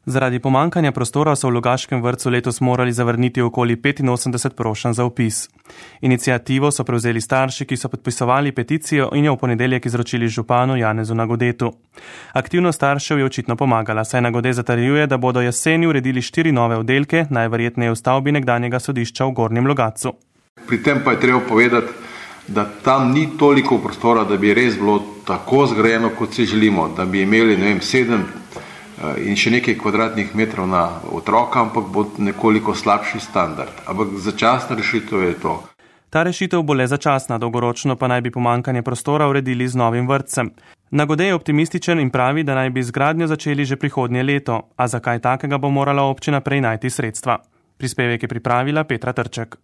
Zaradi pomankanja prostora so v Logaškem vrtcu letos morali zavrniti okoli 85 prošenj za vpis. Inicijativo so prevzeli starši, ki so podpisovali peticijo in jo v ponedeljek izročili županu Janezu Nagodetu. Aktivnost staršev je očitno pomagala, saj Nagode zatrjuje, da bodo jeseni uredili 4 nove oddelke, najverjetneje v stavbi nekdanjega sodišča v Gornjem Logatcu. Pri tem pa je treba povedati, da tam ni toliko prostora, da bi res bilo tako zgrajeno, kot si želimo, da bi imeli 7 in še nekaj kvadratnih metrov na otroka, ampak bo nekoliko slabši standard. Ampak začasna rešitev je to. Ta rešitev bo le začasna, dolgoročno pa naj bi pomankanje prostora uredili z novim vrtcem. Nagode je optimističen in pravi, da naj bi zgradnjo začeli že prihodnje leto, a zakaj takega bo morala občina prej najti sredstva. Prispevek je pripravila Petra Trček.